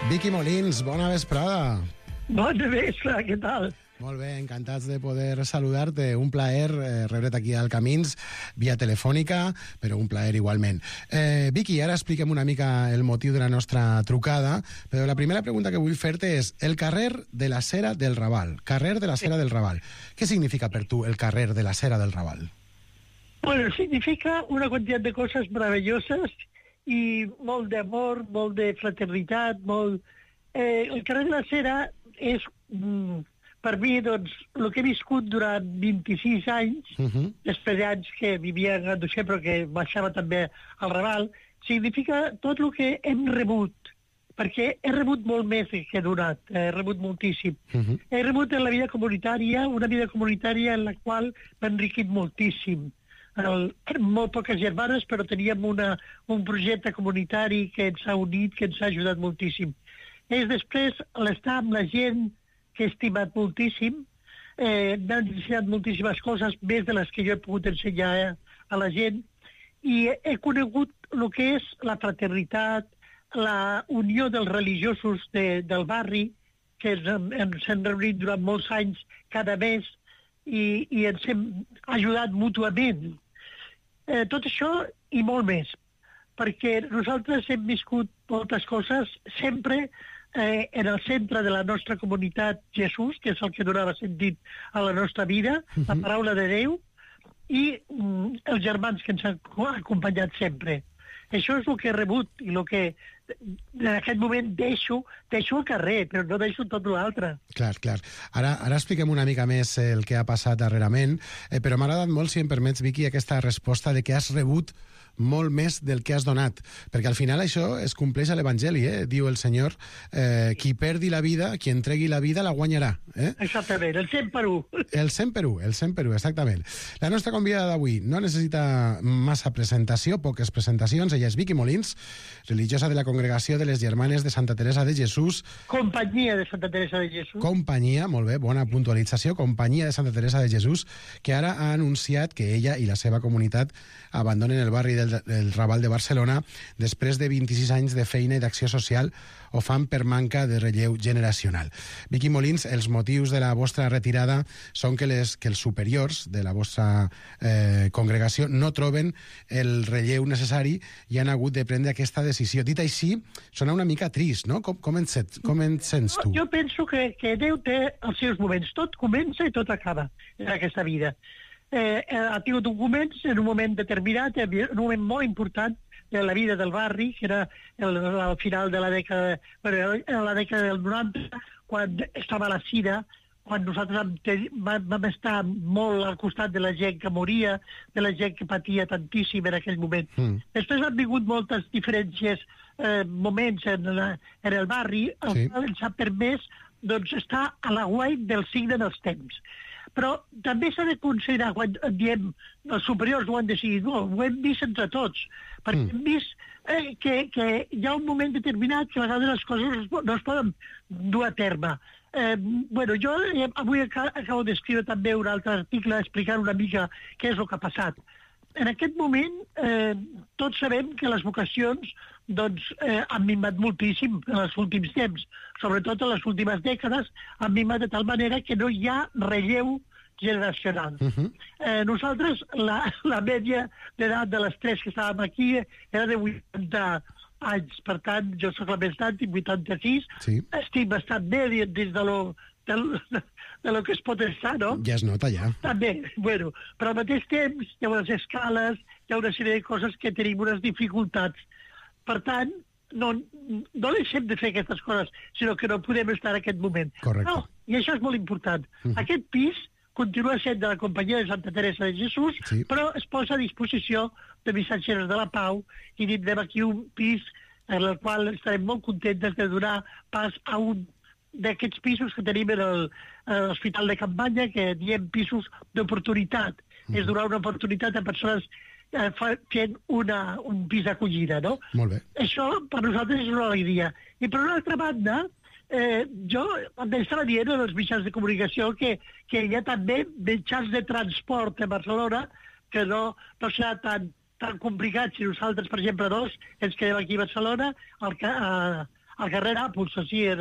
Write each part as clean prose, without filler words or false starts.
Vicky Molins, bona vesprada. Bona vesprada, què tal? Molt bé, encantats de poder saludar-te. Un plaer rebre't aquí al Camins via telefònica, però un plaer igualment. Vicky, ara expliquem una mica el motiu de la nostra trucada, però la primera pregunta que vull fer-te és el carrer de la Cera del Raval. Carrer de la Cera del Raval. Què significa per tu el carrer de la Cera del Raval? Bueno, significa una quantitat de coses meravelloses i molt d'amor, molt de fraternitat, molt... el carrer de la Cera és... per mi, doncs, el que he viscut durant 26 anys, després d'anys que vivia a Ganduixer, però que baixava també al Raval, significa tot el que hem rebut, perquè he rebut molt més que he donat, he rebut moltíssim. He rebut en la vida comunitària, una vida comunitària en la qual m'ha enriquit moltíssim. Molt poques germanes, però teníem un projecte comunitari que ens ha unit, que ens ha ajudat moltíssim. És després l'estar amb la gent que he estimat moltíssim, m'han ensenyat moltíssimes coses, més de les que jo he pogut ensenyar a la gent, i he conegut el que és la fraternitat, la unió dels religiosos del barri, que ens hem reunit durant molts anys cada mes i ens hem ajudat mútuament. Tot això i molt més, perquè nosaltres hem viscut moltes coses sempre en el centre de la nostra comunitat Jesús, que és el que donava sentit a la nostra vida, la paraula de Déu, i els germans que ens han acompanyat sempre. Això és el que he rebut i el que en aquest moment deixo al carrer, però no deixo tot l'altre. Clar. Ara expliquem una mica més el que ha passat darrerament, però m'ha agradat molt, si em permets, Vicky, aquesta resposta de que has rebut molt més del que has donat, perquè al final això es compleix a l'Evangeli, diu el Senyor, qui perdi la vida, qui entregui la vida la guanyarà. Exactament, el 100 per 1. El 100 per 1, exactament. La nostra convidada d'avui no necessita massa presentació, poques presentacions. Ella és Vicky Molins, religiosa de la Congregació de les Germanes de Santa Teresa de Jesús. Companyia de Santa Teresa de Jesús. Companyia, molt bé, bona puntualització. Companyia de Santa Teresa de Jesús, que ara ha anunciat que ella i la seva comunitat abandonen el barri del Raval de Barcelona després de 26 anys de feina i d'acció social. Ho fan per manca de relleu generacional. Vicky Molins, els motius de la vostra retirada són que els superiors de la vostra congregació no troben el relleu necessari i han hagut de prendre aquesta decisió. Dit així, sona una mica trist, no? Com et sents tu? Jo penso que Déu té els seus moments. Tot comença i tot acaba en aquesta vida. Ha tingut un moment determinat, un moment molt important de la vida del barri, que era al final de la dècada, la dècada del 90, quan estava la sida, quan nosaltres vam estar molt al costat de la gent que moria, de la gent que patia tantíssim en aquell moment. Després han vingut moltes diferències, moments en el barri, el qual ens ha permès estar a l'aguait del signe dels temps. Però també s'ha de considerar, quan diem els superiors ho han decidit, ho hem vist entre tots, perquè hem vist que hi ha un moment determinat que a vegades les coses no es poden dur a terme. Jo avui acabo d'escriure també un altre article explicant una mica què és el que ha passat. En aquest moment tots sabem que les vocacions han minvat moltíssim en els últims temps, sobretot en les últimes dècades, han minvat de tal manera que no hi ha relleu generacional. Nosaltres, la mèdia d'edat de les tres que estàvem aquí era de 80 anys, per tant, jo soc la més gran, tinc 86, estic bastant bé dins de lo que es pot estar, no? Ja es nota, ja. També, però al mateix temps hi ha unes escales, hi ha una sèrie de coses que tenim unes dificultats. Per tant, no deixem de fer aquestes coses, sinó que no podem estar en aquest moment. Correcte. No, i això és molt important. Aquest pis continua sent de la Companyia de Santa Teresa de Jesús, però es posa a disposició de missatgeres de la Pau i tindrem aquí un pis en el qual estarem molt contentes de donar pas a un d'aquests pisos que tenim en l'Hospital de Campanya, que diem pisos d'oportunitat. És donar una oportunitat a persones fent un pis d'acollida, no? Molt bé. Això per nosaltres és una alegria. I per una altra banda, jo estava dient als mitjans de comunicació que hi ha també mitjans de transport a Barcelona que no serà tan complicat si nosaltres, per exemple, ens quedem aquí a Barcelona, al carrer Nàpols, així, en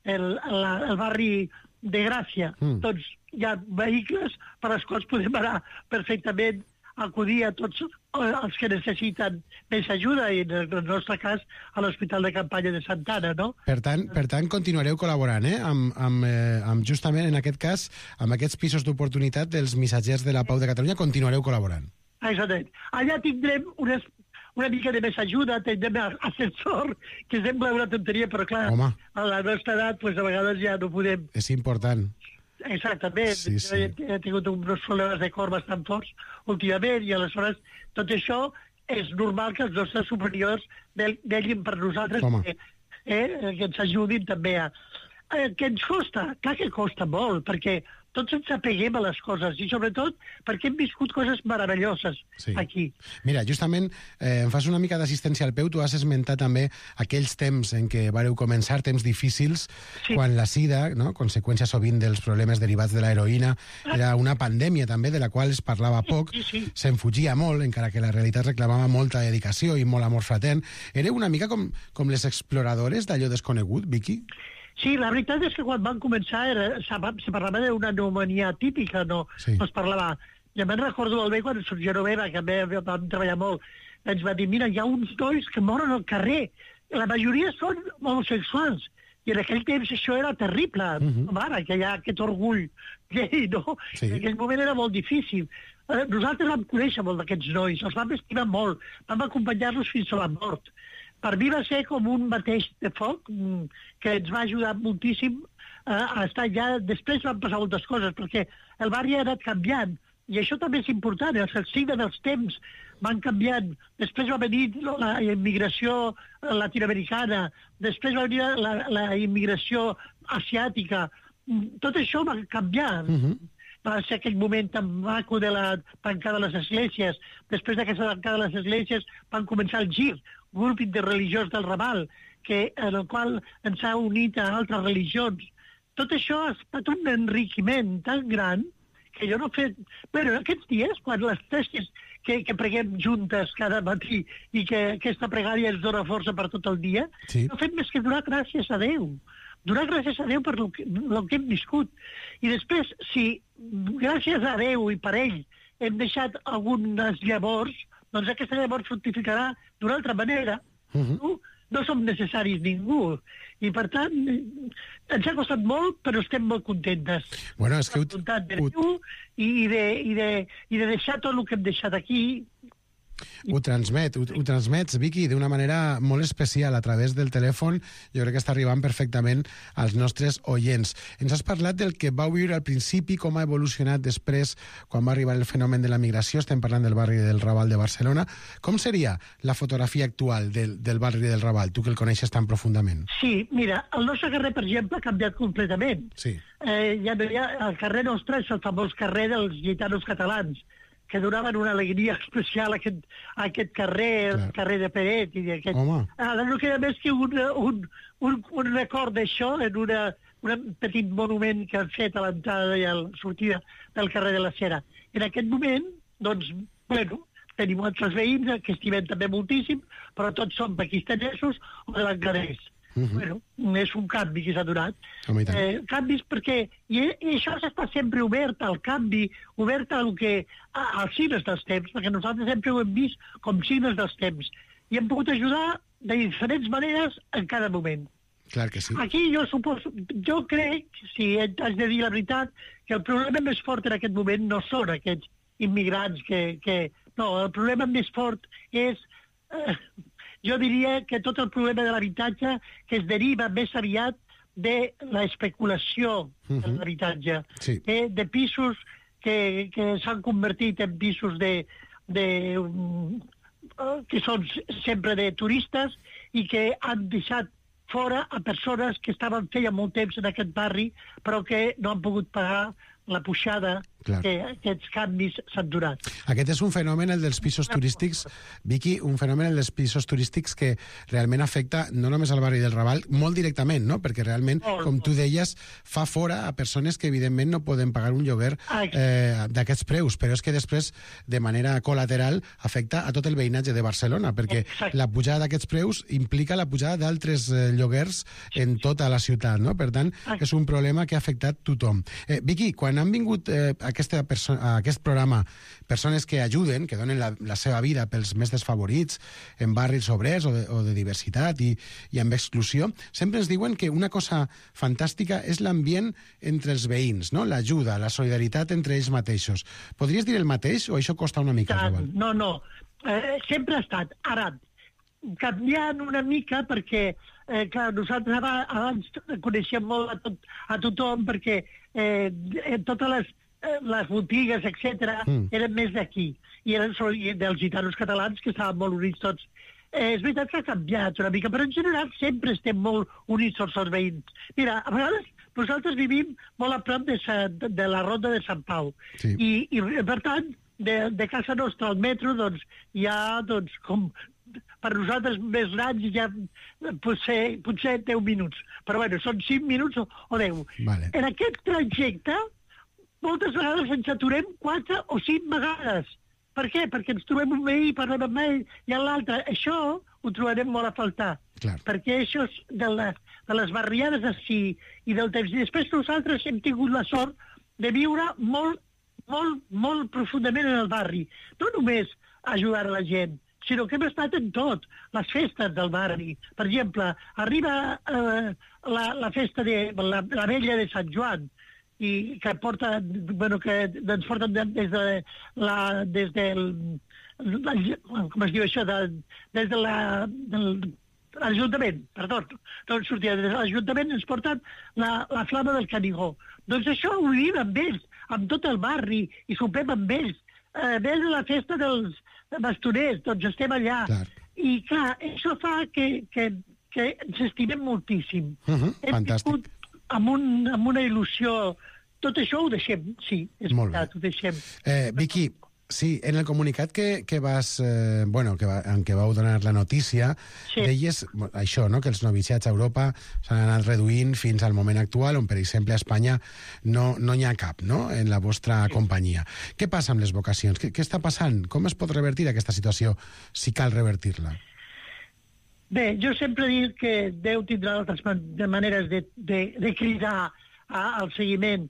el barri de Gràcia. Doncs hi ha vehicles per als quals podem anar perfectament a acudir a tots els que necessiten més ajuda, i en el nostre cas a l'Hospital de Campanya de Santa Anna, no? Per tant, continuareu col·laborant, amb justament, en aquest cas, amb aquests pisos d'oportunitat dels missatgers de la Pau de Catalunya, continuareu col·laborant. Exactament. Allà tindrem una mica de més ajuda, tindrem ascensor, que sembla una tonteria, però clar, a la nostra edat, pues, a vegades ja no podem... És important. Exactament. Sí. He tingut uns problemes de cor bastant forts últimament, i aleshores tot això és normal que els nostres superiors vegin per nosaltres que ens ajudin també a... Què ens costa? Clar que costa molt, perquè tots ens apeguem a les coses, i sobretot perquè hem viscut coses meravelloses aquí. Mira, justament em fas una mica d'assistència al peu. Tu has esmentat també aquells temps en què vareu començar, temps difícils, quan la sida, no?, conseqüència sovint dels problemes derivats de l'heroïna, era una pandèmia també de la qual es parlava poc, se'n fugia molt, encara que la realitat reclamava molta dedicació i molt amor fratern. Éreu una mica com les exploradores d'allò desconegut, Vicky? Sí, la veritat és que quan van començar se parlava d'una pneumònia típica, no es parlava. Ja me'n recordo molt bé quan el Genoveva, que vam treballar molt, ens va dir, mira, hi ha uns nois que moren al carrer, la majoria són homosexuals, i en aquell temps això era terrible. Ara, que hi ha aquest orgull gay, no? En aquell moment era molt difícil. Nosaltres vam conèixer molt d'aquests nois, els vam estimar molt, vam acompanyar-los fins a la mort. Per mi va ser com un mateix de foc que ens va ajudar moltíssim a estar allà. Després van passar moltes coses, perquè el barri ha anat canviant, i això també és important. El signe dels temps van canviant. Després va venir la immigració latinoamericana, després va venir la immigració asiàtica. Tot això va canviar. Va ser aquell moment tan maco de la tancada de les esglésies. Després d'aquesta tancada de les esglésies van començar el gir, grup interreligiós del Raval, en el qual ens ha unit a altres religions. Tot això ha estat un enriquiment tan gran que jo no he fet... Bueno, aquests dies, quan les tres que preguem juntes cada matí i que aquesta pregària ens dona força per tot el dia, no fem més que donar gràcies a Déu. Donar gràcies a Déu per el que hem viscut. I després, si gràcies a Déu i per ell hem deixat algunes llavors, doncs aquesta llavors fructificarà d'una altra manera. No som necessaris ningú. I, per tant, ens ha costat molt, però estem molt contentes. Bueno, és que... I de deixar tot el que hem deixat aquí... Ho transmets, Vicky, d'una manera molt especial a través del telèfon. Jo crec que està arribant perfectament als nostres oients. Ens has parlat del que vau viure al principi, com ha evolucionat després, quan va arribar el fenomen de la migració. Estem parlant del barri del Raval de Barcelona. Com seria la fotografia actual del barri del Raval, tu que el coneixes tan profundament? Sí, mira, el nostre carrer, per exemple, ha canviat completament. El carrer nostre és el famós carrer dels gitanos catalans, que donaven una alegria especial a aquest carrer, el carrer de Peret. Ara no queda més que un record d'això en un petit monument que han fet a l'entrada i a la sortida del carrer de la Cera. En aquest moment, doncs, bueno, tenim altres veïns que estimem també moltíssim, però tots són pakistanesos o de Bangladesh. Bueno, és un canvi que s'ha donat. Canvis perquè... I això està sempre obert al canvi, obert als signes dels temps, perquè nosaltres sempre ho hem vist com signes dels temps. I hem pogut ajudar de diferents maneres en cada moment. Clar que sí. Aquí jo crec, si has de dir la veritat, que el problema més fort en aquest moment no són aquests immigrants No, el problema més fort és... Jo diria que tot el problema de l'habitatge que es deriva més aviat de l'especulació de l'habitatge, de pisos que s'han convertit en pisos que són sempre de turistes i que han deixat fora a persones que estaven feia molt temps en aquest barri però que no han pogut pagar la pujada que aquests canvis s'han donat. Aquest és un fenomen, el dels pisos turístics, Vicky, un fenomen, el dels pisos turístics que realment afecta no només al barri del Raval, molt directament, no? Perquè realment, com tu deies, fa fora a persones que evidentment no poden pagar un lloguer d'aquests preus, però és que després, de manera col·lateral, afecta a tot el veïnatge de Barcelona, perquè la pujada d'aquests preus implica la pujada d'altres lloguers en tota la ciutat, no? Per tant, és un problema que ha afectat tothom. Vicky, quan han vingut a aquest programa persones que ajuden, que donen la seva vida pels més desfavorits, en barris obrers o de diversitat i amb exclusió, sempre ens diuen que una cosa fantàstica és l'ambient entre els veïns, no? L'ajuda, la solidaritat entre ells mateixos. Podries dir el mateix o això costa una mica? No. Sempre ha estat. Ara, canviant una mica perquè, clar, nosaltres abans coneixem molt a tothom perquè totes les botigues, etc., eren més d'aquí. I eren dels gitanos catalans, que estaven molt units tots. És veritat que ha canviat una mica, però en general sempre estem molt units tots els veïns. Mira, a vegades nosaltres vivim molt a prop de la Ronda de Sant Pau. Sí. I per tant, de casa nostra al metro, doncs, hi ha, com per nosaltres més grans, ja potser 10 minuts. Però bueno, són 5 minuts o 10. Vale. En aquest trajecte, moltes vegades ens aturem 4 o 5 vegades. Per què? Perquè ens trobem un veí, parlem amb ell i amb l'altre. Això ho trobarem molt a faltar. Clar. Perquè això és de les barriades així i del temps. I després nosaltres hem tingut la sort de viure molt profundament en el barri. No només ajudar a la gent, sinó que hem estat en tot. Les festes del barri. Per exemple, arriba la festa de la Vella de Sant Joan, i que ens porten des del com es diu això, des de l'Ajuntament, perdó, no en sortia, des de l'Ajuntament ens porten la flama del Canigó. Doncs això ho vivim amb ells, amb tot el barri, i sopem amb ells. Ves a la festa dels bastoners, doncs estem allà. Clar. I clar, això fa que ens estimem moltíssim. Fantàstic. Amb una il·lusió. Tot això ho deixem, sí, és veritat, ho deixem. Vicky, sí, en el comunicat que vas, en què vau donar la notícia, deies això, no?, que els noviciats a Europa s'han anat reduint fins al moment actual, on, per exemple, a Espanya no n'hi ha cap, no?, en la vostra companyia. Què passa amb les vocacions? Què està passant? Com es pot revertir aquesta situació, si cal revertir-la? Bé, jo sempre dic que Déu tindrà altres maneres de cridar al seguiment,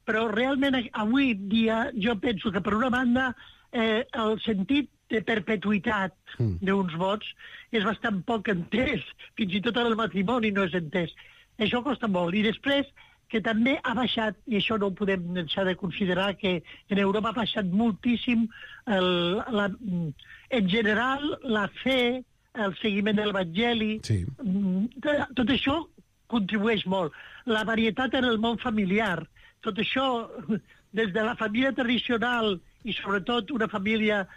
però realment avui dia jo penso que per una banda el sentit de perpetuïtat d'uns vots és bastant poc entès, fins i tot en el matrimoni no és entès. Això costa molt. I després que també ha baixat, i això no ho podem deixar de considerar, que en Europa ha baixat moltíssim en general la fe, el seguiment de l'Evangeli. Sí. Tot això contribueix molt. La varietat en el món familiar. Tot això, des de la família tradicional i sobretot una família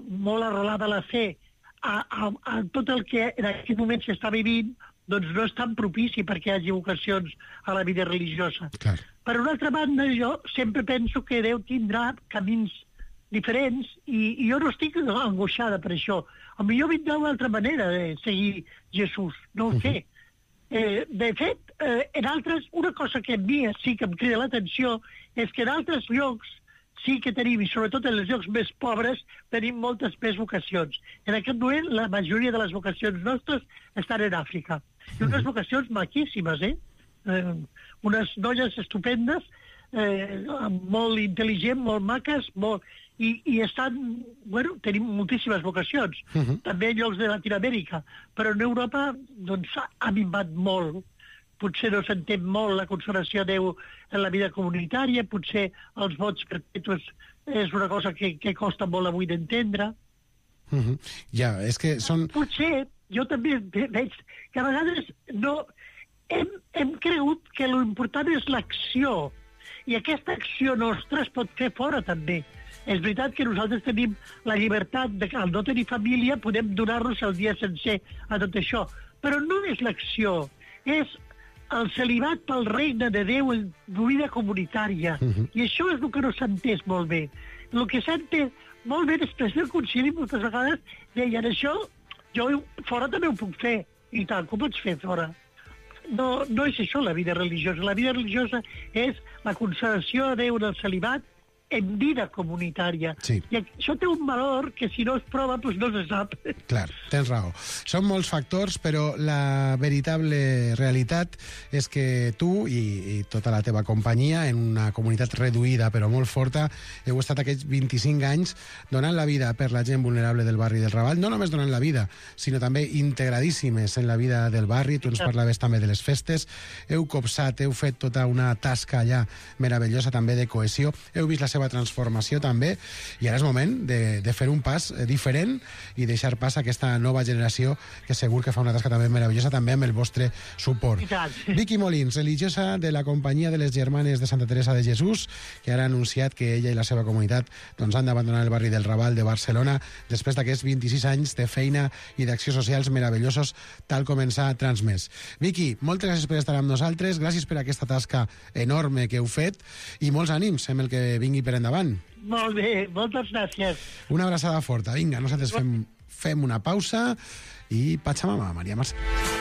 molt arrelada a la fe, a tot el que en aquest moment s'està vivint, doncs no és tan propici perquè hi hagi vocacions a la vida religiosa. Clar. Per una altra banda, jo sempre penso que Déu tindrà camins diferents i jo no estic angoixada per això. Potser vindrà una altra manera de seguir Jesús, no ho sé. De fet, en altres, una cosa que a mi sí que em crida l'atenció és que en altres llocs sí que tenim, i sobretot en els llocs més pobres, tenim moltes més vocacions. En aquest moment, la majoria de les vocacions nostres estan en Àfrica. I unes vocacions maquíssimes, unes noies estupendes, molt intel·ligents, molt maques, i estan, tenim moltíssimes vocacions, també en llocs de Latinoamèrica, però en Europa doncs ha minvat molt. Potser no s'entén molt la consagració a Déu en la vida comunitària, potser els vots perpetus és una cosa que costa molt avui d'entendre. Ja, és que són... Potser, jo també veig que a vegades no... Hem cregut que l'important és l'acció, i aquesta acció nostra es pot fer fora també. És veritat que nosaltres tenim la llibertat de que al no tenir família podem donar-nos el dia sencer a tot això, però no és l'acció, és el celibat pel regne de Déu en vida comunitària. I això és el que no s'ha entès molt bé. El que s'ha entès molt bé després del concili, moltes vegades deien això, jo fora també ho puc fer. I tant, com pots fer fora? No és això la vida religiosa. La vida religiosa és la consagració a Déu del celibat en vida comunitària. Sí. I això té un valor que si no es prova doncs no se sap. Clar, tens raó. Són molts factors, però la veritable realitat és que tu i tota la teva companyia, en una comunitat reduïda però molt forta, heu estat aquests 25 anys donant la vida per la gent vulnerable del barri del Raval, no només donant la vida, sinó també integradíssimes en la vida del barri. Tu ens parlaves també de les festes, heu copsat, heu fet tota una tasca allà meravellosa també de cohesió, heu vist la seva transformació també, i ara és moment de fer un pas diferent i deixar pas a aquesta nova generació que segur que fa una tasca també meravellosa, també amb el vostre suport. Vicky Molins, religiosa de la Companyia de les Germanes de Santa Teresa de Jesús, que ara ha anunciat que ella i la seva comunitat doncs, han d'abandonar el barri del Raval de Barcelona després d'aquests 26 anys de feina i d'accions socials meravellosos, tal com ens ha transmès. Vicky, moltes gràcies per estar amb nosaltres, gràcies per aquesta tasca enorme que heu fet i molts ànims amb el que vingui per endavant. Molt bé, moltes gràcies. Una abraçada forta. Vinga, nosaltres fem una pausa i Pachamama, Maria Mercè.